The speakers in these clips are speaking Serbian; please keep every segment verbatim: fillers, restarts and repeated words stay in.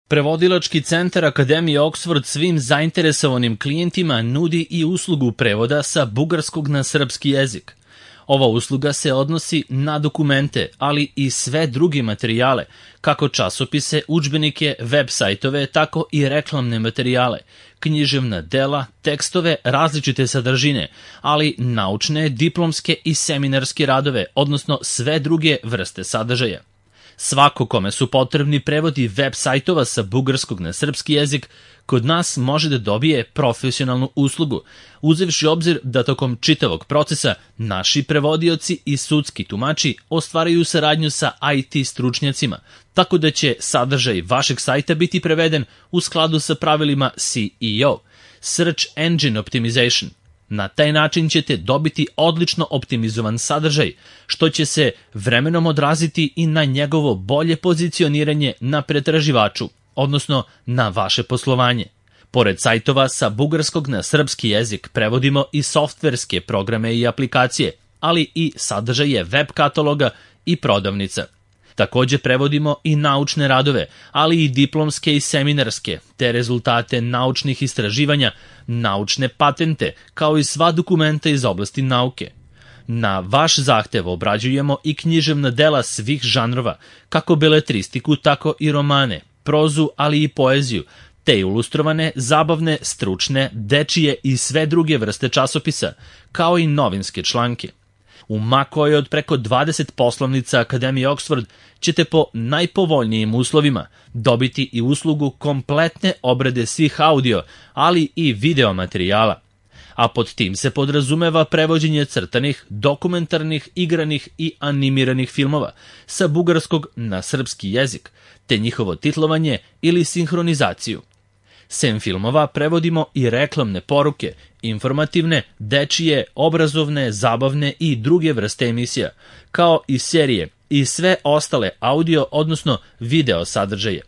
Prevodilački centar Akademije Oxford svim zainteresovanim klijentima nudi i uslugu prevoda sa bugarskog na srpski jezik. Ova usluga se odnosi na dokumente, ali i sve druge materijale, kako časopise, udžbenike, web sajtove, tako i reklamne materijale, književna dela, tekstove različite sadržine, ali naučne, diplomske i seminarske radove, odnosno sve druge vrste sadržaja. Svako kome su potrebni prevodi web sajtova sa bugarskog na srpski jezik, kod nas može da dobije profesionalnu uslugu, uzevši obzir da tokom čitavog procesa naši prevodioci i sudski tumači ostvaraju saradnju sa I T stručnjacima, tako da će sadržaj vašeg sajta biti preveden u skladu sa pravilima S E O, Search Engine Optimization. Na taj način ćete dobiti odlično optimizovan sadržaj, što će se vremenom odraziti i na njegovo bolje pozicioniranje na pretraživaču, odnosno na vaše poslovanje. Pored sajtova sa bugarskog na srpski jezik prevodimo i softverske programe i aplikacije, ali i sadržaje web kataloga i prodavnica. Takođe prevodimo i naučne radove, ali i diplomske i seminarske, te rezultate naučnih istraživanja, naučne patente, kao i sva dokumenta iz oblasti nauke. Na vaš zahtev obrađujemo i književna dela svih žanrova, kako beletristiku, tako i romane, prozu, ali i poeziju, te ilustrovane, zabavne, stručne, dečije i sve druge vrste časopisa, kao i novinske članke. U ma kojoj od preko dvadeset poslovnica Akademije Oxford ćete po najpovoljnijim uslovima dobiti i uslugu kompletne obrade svih audio, ali i video materijala. A pod tim se podrazumeva prevođenje crtanih, dokumentarnih, igranih i animiranih filmova sa bugarskog na srpski jezik, te njihovo titlovanje ili sinhronizaciju. Sem filmova prevodimo i reklamne poruke, informativne, dečije, obrazovne, zabavne i druge vrste emisija, kao i serije i sve ostale audio, odnosno video sadržaje.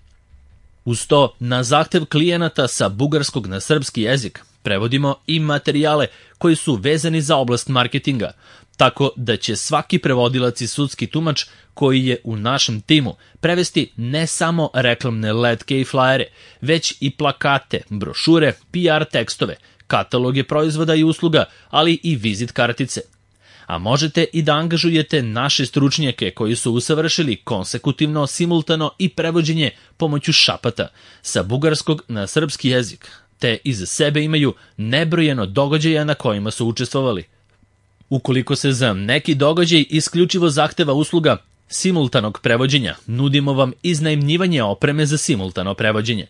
Uz to, na zahtev klijenata sa bugarskog na srpski jezik prevodimo i materijale koji su vezani za oblast marketinga, tako da će svaki prevodilac i sudski tumač koji je u našem timu prevesti ne samo reklamne letke i flajere, već i plakate, brošure, P R tekstove, kataloge proizvoda i usluga, ali i vizit kartice. A možete i da angažujete naše stručnjake koji su usavršili konsekutivno, simultano i prevođenje pomoću šapata sa bugarskog na srpski jezik, te iza sebe imaju nebrojeno događaja na kojima su učestvovali. Ukoliko se za neki događaj isključivo zahteva usluga simultanog prevođenja, nudimo vam iznajmljivanje opreme za simultano prevođenje.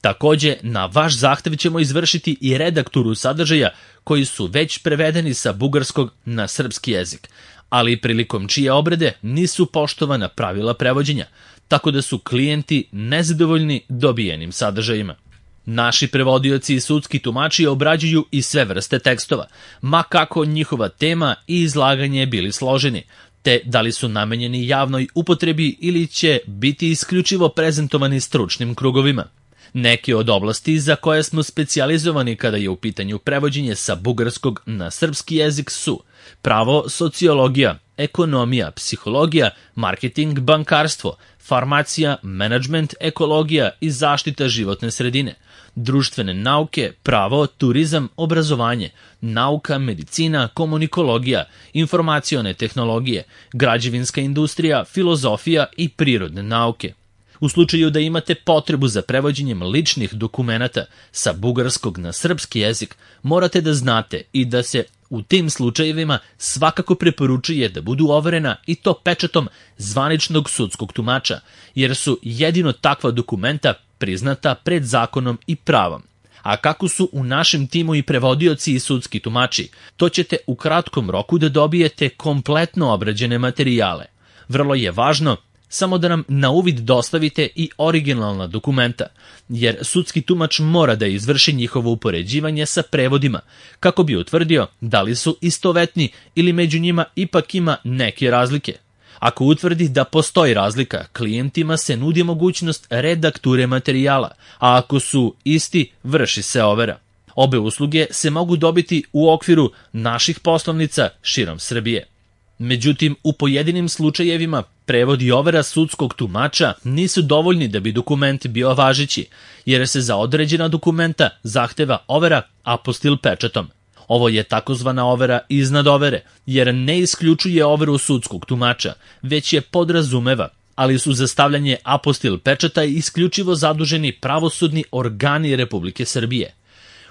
Takođe, na vaš zahtev ćemo izvršiti i redakturu sadržaja koji su već prevedeni sa bugarskog na srpski jezik, ali prilikom čije obrade nisu poštovana pravila prevođenja, tako da su klijenti nezadovoljni dobijenim sadržajima. Naši prevodioci i sudski tumači obrađuju i sve vrste tekstova, ma kako njihova tema i izlaganje bili složeni, te da li su namenjeni javnoj upotrebi ili će biti isključivo prezentovani stručnim krugovima. Neke od oblasti za koje smo specijalizovani kada je u pitanju prevođenje sa bugarskog na srpski jezik su pravo, sociologija, ekonomija, psihologija, marketing, bankarstvo, farmacija, menadžment, ekologija i zaštita životne sredine, društvene nauke, pravo, turizam, obrazovanje, nauka, medicina, komunikologija, informacione tehnologije, građevinska industrija, filozofija i prirodne nauke. U slučaju da imate potrebu za prevođenjem ličnih dokumenata sa bugarskog na srpski jezik, morate da znate i da se u tim slučajevima svakako preporučuje da budu overena i to pečatom zvaničnog sudskog tumača, jer su jedino takva dokumenta priznata pred zakonom i pravom. A kako su u našem timu i prevodioci i sudski tumači, to ćete u kratkom roku da dobijete kompletno obrađene materijale. Vrlo je važno samo da nam na uvid dostavite i originalna dokumenta, jer sudski tumač mora da izvrši njihovo upoređivanje sa prevodima, kako bi utvrdio da li su istovetni ili među njima ipak ima neke razlike. Ako utvrdi da postoji razlika, klijentima se nudi mogućnost redakture materijala, a ako su isti, vrši se overa. Obe usluge se mogu dobiti u okviru naših poslovnica širom Srbije. Međutim, u pojedinim slučajevima prevod i overa sudskog tumača nisu dovoljni da bi dokument bio važeći, jer se za određena dokumenta zahteva overa apostil pečatom. Ovo je takozvana overa iznad overe, jer ne isključuje overu sudskog tumača, već je podrazumeva, ali su za stavljanje apostil pečata isključivo zaduženi pravosudni organi Republike Srbije.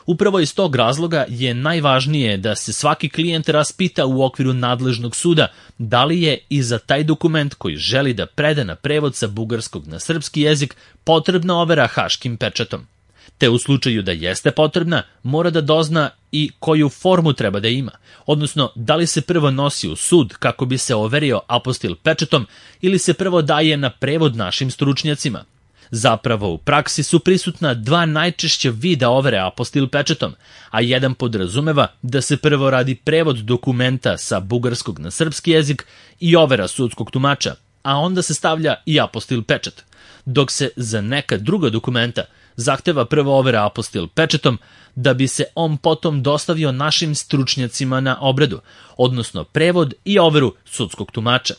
Upravo iz tog razloga je najvažnije da se svaki klijent raspita u okviru nadležnog suda da li je i za taj dokument koji želi da preda na prevod sa bugarskog na srpski jezik potrebna overa haškim pečatom. Te u slučaju da jeste potrebna, mora da dozna i koju formu treba da ima, odnosno da li se prvo nosi u sud kako bi se overio apostil pečatom ili se prvo daje na prevod našim stručnjacima. Zapravo, u praksi su prisutna dva najčešća vida overe apostil pečatom, a jedan podrazumeva da se prvo radi prevod dokumenta sa bugarskog na srpski jezik i overa sudskog tumača, a onda se stavlja i apostil pečat, dok se za neka druga dokumenta zahteva prvo overa apostil pečatom da bi se on potom dostavio našim stručnjacima na obradu, odnosno prevod i overu sudskog tumača.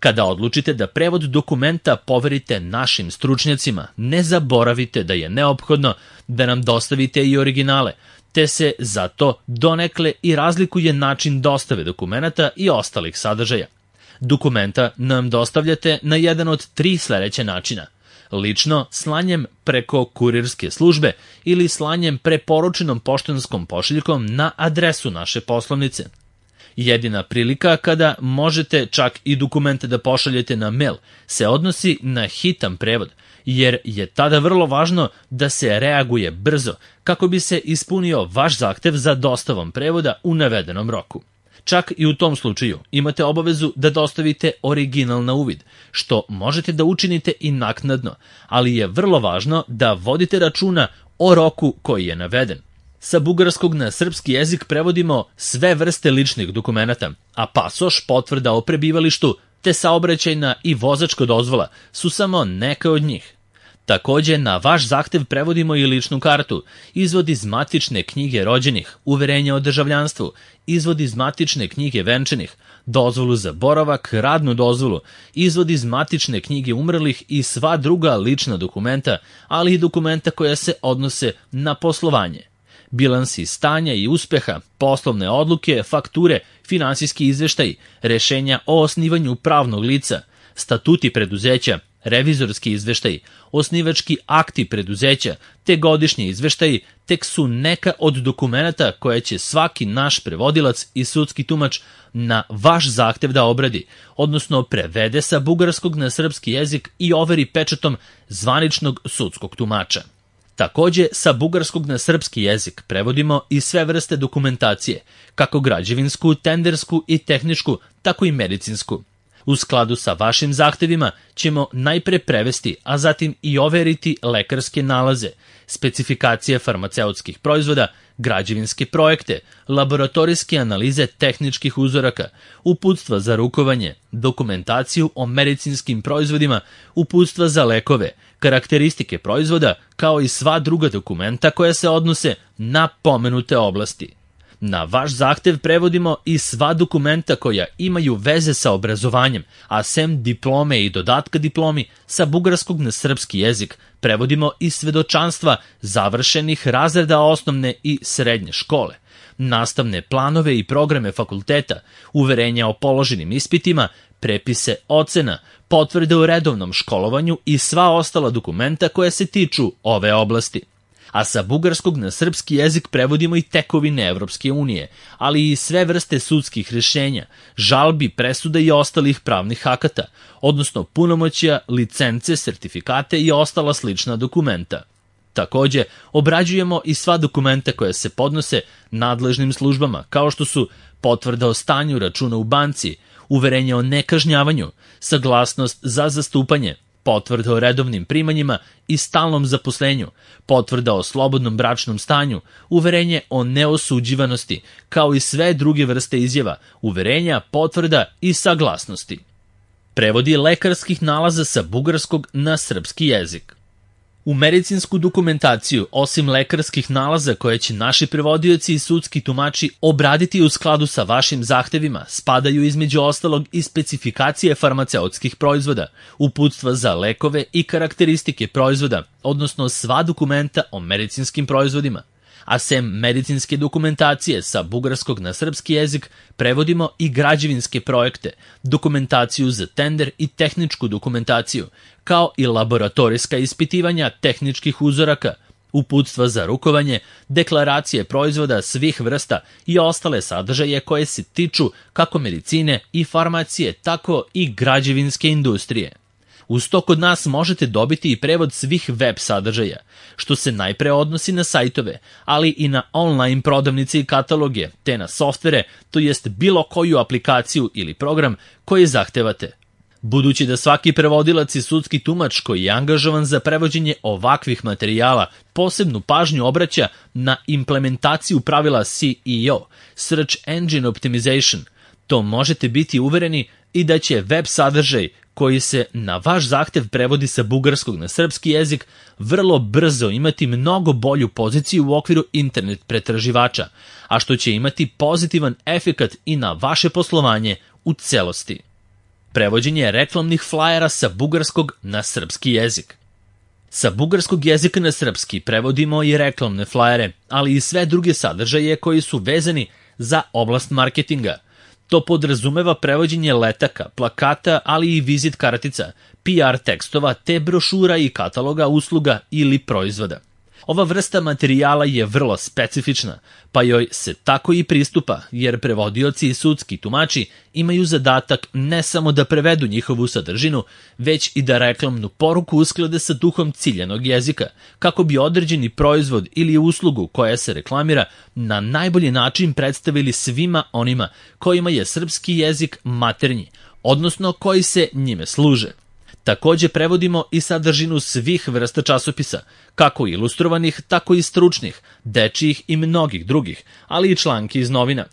Kada odlučite da prevod dokumenta poverite našim stručnjacima, ne zaboravite da je neophodno da nam dostavite i originale, te se zato donekle i razlikuje način dostave dokumenata i ostalih sadržaja. Dokumenta nam dostavljate na jedan od tri sledeća načina: lično, slanjem preko kurirske službe ili slanjem preporučenom poštanskom pošiljkom na adresu naše poslovnice. Jedina prilika kada možete čak i dokumente da pošaljete na mail se odnosi na hitan prevod, jer je tada vrlo važno da se reaguje brzo kako bi se ispunio vaš zahtev za dostavom prevoda u navedenom roku. Čak i u tom slučaju imate obavezu da dostavite original na uvid, što možete da učinite i naknadno, ali je vrlo važno da vodite računa o roku koji je naveden. Sa bugarskog na srpski jezik prevodimo sve vrste ličnih dokumenata, a pasoš, potvrda o prebivalištu, te saobraćajna i vozačka dozvola su samo neke od njih. Takođe, na vaš zahtev prevodimo i ličnu kartu, izvod iz matične knjige rođenih, uverenje o državljanstvu, izvod iz matične knjige venčanih, dozvolu za boravak, radnu dozvolu, izvod iz matične knjige umrlih i sva druga lična dokumenta, ali i dokumenta koja se odnose na poslovanje. Bilansi stanja i uspeha, poslovne odluke, fakture, finansijski izveštaj, rešenja o osnivanju pravnog lica, statuti preduzeća, revizorski izveštaj, osnivački akti preduzeća, te godišnji izveštaji tek su neka od dokumenata koje će svaki naš prevodilac i sudski tumač na vaš zahtev da obradi, odnosno prevede sa bugarskog na srpski jezik i overi pečatom zvaničnog sudskog tumača. Takođe, sa bugarskog na srpski jezik prevodimo i sve vrste dokumentacije, kako građevinsku, tendersku i tehničku, tako i medicinsku. U skladu sa vašim zahtevima ćemo najpre prevesti, a zatim i overiti lekarske nalaze, specifikacije farmaceutskih proizvoda, građevinske projekte, laboratorijske analize tehničkih uzoraka, uputstva za rukovanje, dokumentaciju o medicinskim proizvodima, uputstva za lekove, karakteristike proizvoda, kao i sva druga dokumenta koja se odnose na pomenute oblasti. Na vaš zahtev prevodimo i sva dokumenta koja imaju veze sa obrazovanjem, a sem diplome i dodatka diplomi sa bugarskog na srpski jezik prevodimo i svedočanstva završenih razreda osnovne i srednje škole, nastavne planove i programe fakulteta, uverenja o položenim ispitima, prepise ocena, potvrde o redovnom školovanju i sva ostala dokumenta koja se tiču ove oblasti. A sa bugarskog na srpski jezik prevodimo i tekovine Evropske unije, ali i sve vrste sudskih rešenja, žalbi, presuda i ostalih pravnih akata, odnosno punomoćja, licence, sertifikate i ostala slična dokumenta. Takođe, obrađujemo i sva dokumenta koja se podnose nadležnim službama, kao što su potvrda o stanju računa u banci, uverenje o nekažnjavanju, saglasnost za zastupanje, potvrda o redovnim primanjima i stalnom zaposlenju, potvrda o slobodnom bračnom stanju, uverenje o neosuđivanosti, kao i sve druge vrste izjava, uverenja, potvrda i saglasnosti. Prevodi lekarskih nalaza sa bugarskog na srpski jezik. U medicinsku dokumentaciju, osim lekarskih nalaza koje će naši prevodioci i sudski tumači obraditi u skladu sa vašim zahtevima, spadaju između ostalog i specifikacije farmaceutskih proizvoda, uputstva za lekove i karakteristike proizvoda, odnosno sva dokumenta o medicinskim proizvodima. A sem medicinske dokumentacije sa bugarskog na srpski jezik, prevodimo i građevinske projekte, dokumentaciju za tender i tehničku dokumentaciju, kao i laboratorijska ispitivanja tehničkih uzoraka, uputstva za rukovanje, deklaracije proizvoda svih vrsta i ostale sadržaje koje se tiču kako medicine i farmacije, tako i građevinske industrije. Uz to kod nas možete dobiti i prevod svih web sadržaja, što se najpre odnosi na sajtove, ali i na online prodavnice i kataloge, te na softvere, to jest bilo koju aplikaciju ili program koji zahtevate. Budući da svaki prevodilac i sudski tumač koji je angažovan za prevođenje ovakvih materijala posebnu pažnju obraća na implementaciju pravila S E O, Search Engine Optimization, to možete biti uvereni i da će web sadržaj koji se na vaš zahtev prevodi sa bugarskog na srpski jezik vrlo brzo imati mnogo bolju poziciju u okviru internet pretraživača, a što će imati pozitivan efekat i na vaše poslovanje u celosti. Prevođenje reklamnih flajera sa bugarskog na srpski jezik. Sa bugarskog jezika na srpski prevodimo i reklamne flajere, ali i sve druge sadržaje koji su vezani za oblast marketinga. To podrazumeva prevođenje letaka, plakata, ali i vizit kartica, P R tekstova te brošura i kataloga usluga ili proizvoda. Ova vrsta materijala je vrlo specifična, pa joj se tako i pristupa, jer prevodioci i sudski tumači imaju zadatak ne samo da prevedu njihovu sadržinu, već i da reklamnu poruku usklade sa duhom ciljanog jezika, kako bi određeni proizvod ili uslugu koja se reklamira na najbolji način predstavili svima onima kojima je srpski jezik maternji, odnosno koji se njime služe. Takođe prevodimo i sadržinu svih vrsta časopisa, kako ilustrovanih, tako i stručnih, dečijih i mnogih drugih, ali i članki iz novina.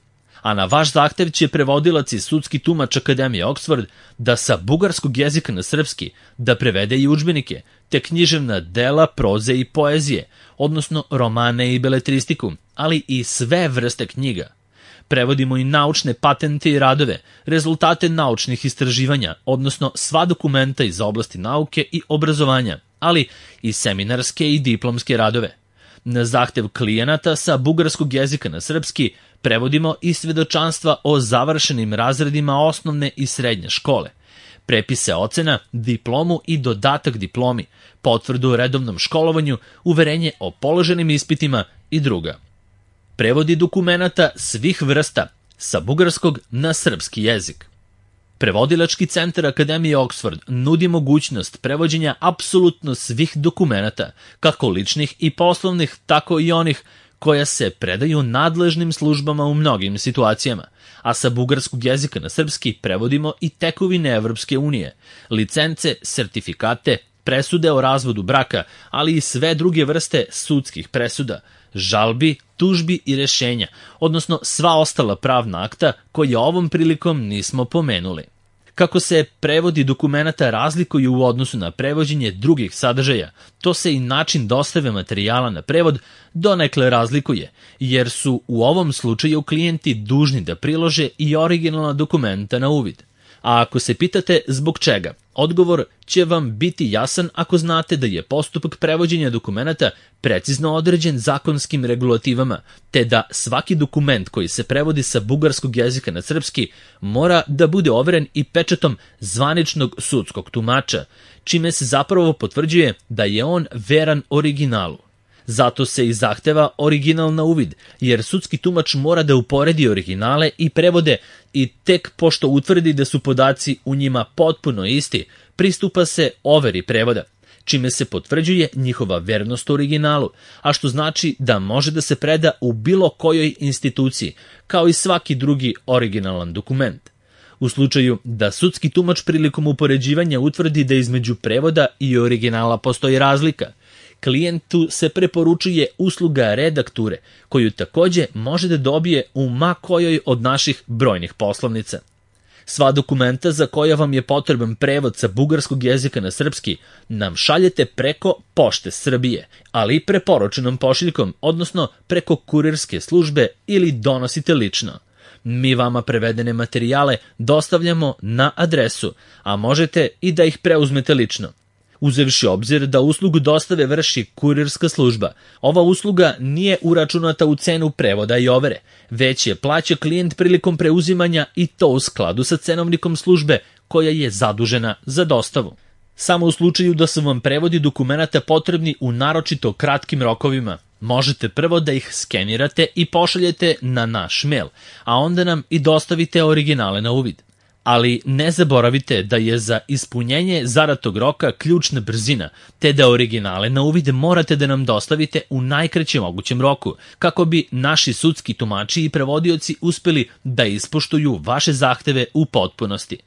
A na vaš zahtev će prevodilac i sudski tumač Akademije Oxford da sa bugarskog jezika na srpski da prevede i udžbenike, te književna dela proze i poezije, odnosno romane i beletristiku, ali i sve vrste knjiga. Prevodimo i naučne patente i radove, rezultate naučnih istraživanja, odnosno sva dokumenta iz oblasti nauke i obrazovanja, ali i seminarske i diplomske radove. Na zahtev klijenata sa bugarskog jezika na srpski prevodimo i svedočanstva o završenim razredima osnovne i srednje škole, prepise ocena, diplomu i dodatak diplomi, potvrdu o redovnom školovanju, uverenje o položenim ispitima i druga. Prevodi dokumenata svih vrsta sa bugarskog na srpski jezik. Prevodilački centar Akademije Oxford nudi mogućnost prevođenja apsolutno svih dokumenata, kako ličnih i poslovnih, tako i onih koja se predaju nadležnim službama u mnogim situacijama, a sa bugarskog jezika na srpski prevodimo i tekovine Evropske unije, licence, sertifikate, presude o razvodu braka, ali i sve druge vrste sudskih presuda, žalbi, tužbi i rešenja, odnosno sva ostala pravna akta koje ovom prilikom nismo pomenuli. Kako se prevodi dokumenata razlikuju u odnosu na prevođenje drugih sadržaja, to se i način dostave materijala na prevod donekle razlikuje, jer su u ovom slučaju klijenti dužni da prilože i originalna dokumenta na uvid. A ako se pitate zbog čega, odgovor će vam biti jasan ako znate da je postupak prevođenja dokumenata precizno određen zakonskim regulativama, te da svaki dokument koji se prevodi sa bugarskog jezika na srpski mora da bude overen i pečatom zvaničnog sudskog tumača, čime se zapravo potvrđuje da je on veran originalu. Zato se i zahteva original na uvid, jer sudski tumač mora da uporedi originale i prevode i tek pošto utvrdi da su podaci u njima potpuno isti, pristupa se overi prevoda, čime se potvrđuje njihova vernost originalu, a što znači da može da se preda u bilo kojoj instituciji, kao i svaki drugi originalan dokument. U slučaju da sudski tumač prilikom upoređivanja utvrdi da između prevoda i originala postoji razlika, klijentu se preporučuje usluga redakture, koju takođe može da dobije u ma kojoj od naših brojnih poslovnica. Sva dokumenta za koja vam je potreban prevod sa bugarskog jezika na srpski nam šaljete preko Pošte Srbije, ali i preporučenom pošiljkom, odnosno preko kurirske službe ili donosite lično. Mi vama prevedene materijale dostavljamo na adresu, a možete i da ih preuzmete lično. Uzevši obzir da uslugu dostave vrši kurirska služba, ova usluga nije uračunata u cenu prevoda i overe, već je plaća klijent prilikom preuzimanja i to u skladu sa cenovnikom službe koja je zadužena za dostavu. Samo u slučaju da su vam prevodi dokumenata potrebni u naročito kratkim rokovima, možete prvo da ih skenirate i pošaljete na naš mail, a onda nam i dostavite originale na uvid. Ali ne zaboravite da je za ispunjenje zadatog roka ključna brzina, te da originale na uvid morate da nam dostavite u najkraćem mogućem roku, kako bi naši sudski tumači i prevodioci uspeli da ispoštuju vaše zahteve u potpunosti.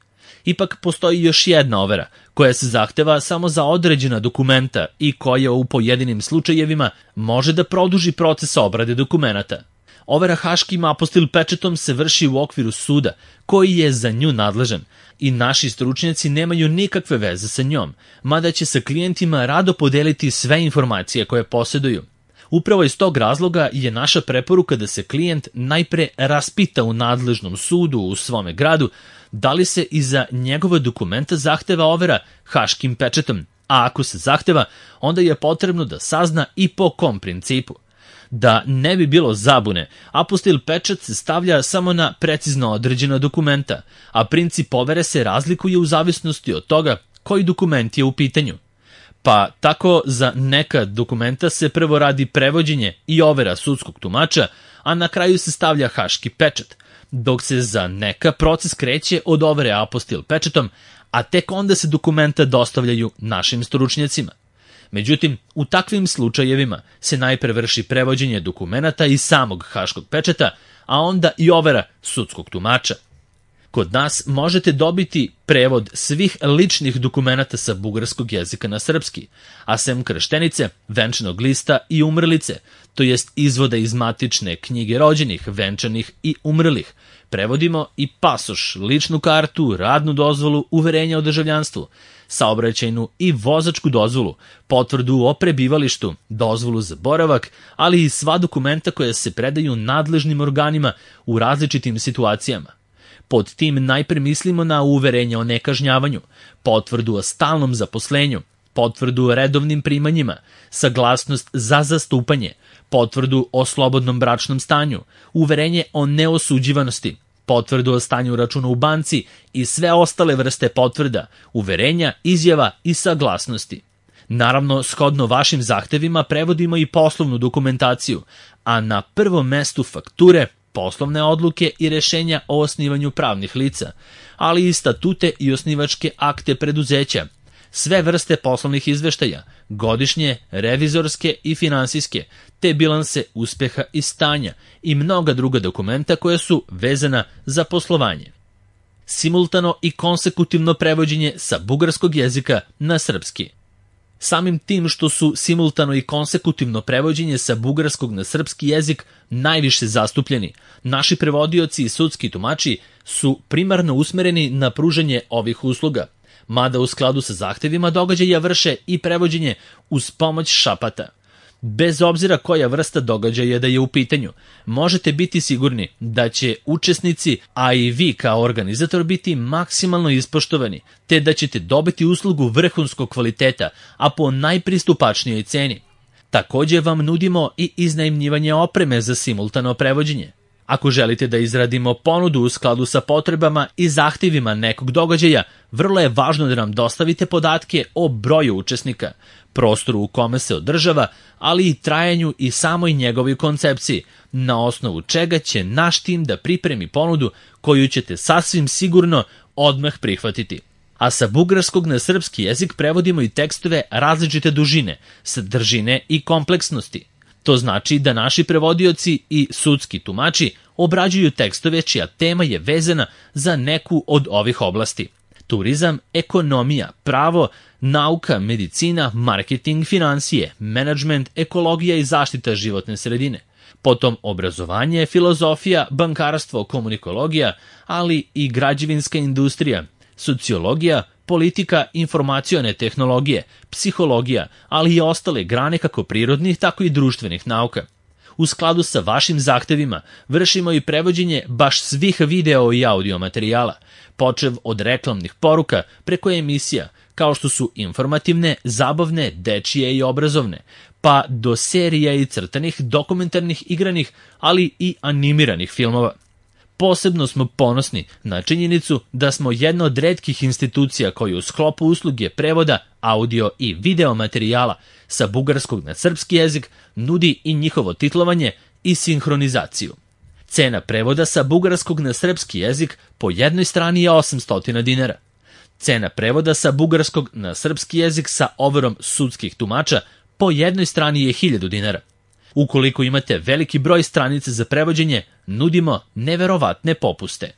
Ipak postoji još jedna overa, koja se zahteva samo za određena dokumenta i koja u pojedinim slučajevima može da produži proces obrade dokumenata. Overa haškim apostil pečetom se vrši u okviru suda, koji je za nju nadležan, i naši stručnjaci nemaju nikakve veze sa njom, mada će sa klijentima rado podeliti sve informacije koje posjeduju. Upravo iz tog razloga je naša preporuka da se klijent najpre raspita u nadležnom sudu u svome gradu da li se iza njegove dokumenta zahteva overa haškim pečetom, a ako se zahteva, onda je potrebno da sazna i po kom principu. Da ne bi bilo zabune, apostil pečat se stavlja samo na precizno određena dokumenta, a princip overe se razlikuje u zavisnosti od toga koji dokument je u pitanju. Pa tako za neka dokumenta se prvo radi prevođenje i overa sudskog tumača, a na kraju se stavlja haški pečat, dok se za neka proces kreće od overe apostil pečatom, a tek onda se dokumenta dostavljaju našim stručnjacima. Međutim, u takvim slučajevima se najpre vrši prevođenje dokumenata iz samog haškog pečata, a onda i overa sudskog tumača. Kod nas možete dobiti prevod svih ličnih dokumenata sa bugarskog jezika na srpski, a sem krštenice, venčanog lista i umrlice, to jest izvoda iz matične knjige rođenih, venčanih i umrlih. Prevodimo i pasoš, ličnu kartu, radnu dozvolu, uverenje o državljanstvu, saobraćajnu i vozačku dozvolu, potvrdu o prebivalištu, dozvolu za boravak, ali i sva dokumenta koja se predaju nadležnim organima u različitim situacijama. Pod tim najpre mislimo na uverenje o nekažnjavanju, potvrdu o stalnom zaposlenju, potvrdu o redovnim primanjima, saglasnost za zastupanje, potvrdu o slobodnom bračnom stanju, uverenje o neosuđivanosti, potvrdu o stanju računa u banci i sve ostale vrste potvrda, uverenja, izjava i saglasnosti. Naravno, shodno vašim zahtevima prevodimo i poslovnu dokumentaciju, a na prvom mestu fakture, poslovne odluke i rešenja o osnivanju pravnih lica, ali i statute i osnivačke akte preduzeća, sve vrste poslovnih izveštaja, godišnje, revizorske i finansijske, te bilanse uspeha i stanja i mnoga druga dokumenta koja su vezana za poslovanje. Simultano i konsekutivno prevođenje sa bugarskog jezika na srpski. Samim tim što su simultano i konsekutivno prevođenje sa bugarskog na srpski jezik najviše zastupljeni, naši prevodioci i sudski tumači su primarno usmereni na pružanje ovih usluga, mada u skladu sa zahtevima događaja vrše i prevođenje uz pomoć šapata. Bez obzira koja vrsta događaja da je u pitanju, možete biti sigurni da će učesnici, a i vi kao organizator biti maksimalno ispoštovani, te da ćete dobiti uslugu vrhunskog kvaliteta, a po najpristupačnijoj ceni. Također vam nudimo i iznajmljivanje opreme za simultano prevođenje. Ako želite da izradimo ponudu u skladu sa potrebama i zahtjevima nekog događaja, vrlo je važno da nam dostavite podatke o broju učesnika, prostoru u kome se održava, ali i trajanju i samoj njegovoj koncepciji, na osnovu čega će naš tim da pripremi ponudu koju ćete sasvim sigurno odmah prihvatiti. A sa bugarskog na srpski jezik prevodimo i tekstove različite dužine, sadržine i kompleksnosti. To znači da naši prevodioci i sudski tumači obrađuju tekstove čija tema je vezana za neku od ovih oblasti. Turizam, ekonomija, pravo, nauka, medicina, marketing, financije, menadžment, ekologija i zaštita životne sredine. Potom obrazovanje, filozofija, bankarstvo, komunikologija, ali i građevinska industrija, sociologija, politika, informacione tehnologije, psihologija, ali i ostale grane kako prirodnih, tako i društvenih nauka. U skladu sa vašim zahtevima vršimo i prevođenje baš svih video i audio materijala, počev od reklamnih poruka preko emisija, kao što su informativne, zabavne, dečije i obrazovne, pa do serija i crtanih, dokumentarnih, igranih, ali i animiranih filmova. Posebno smo ponosni na činjenicu da smo jedna od retkih institucija koji u sklopu usluge prevoda audio i video materijala sa bugarskog na srpski jezik nudi i njihovo titlovanje i sinhronizaciju. Cena prevoda sa bugarskog na srpski jezik po jednoj strani je osamsto dinara. Cena prevoda sa bugarskog na srpski jezik sa overom sudskih tumača po jednoj strani je hiljadu dinara. Ukoliko imate veliki broj stranica za prevođenje, nudimo neverovatne popuste.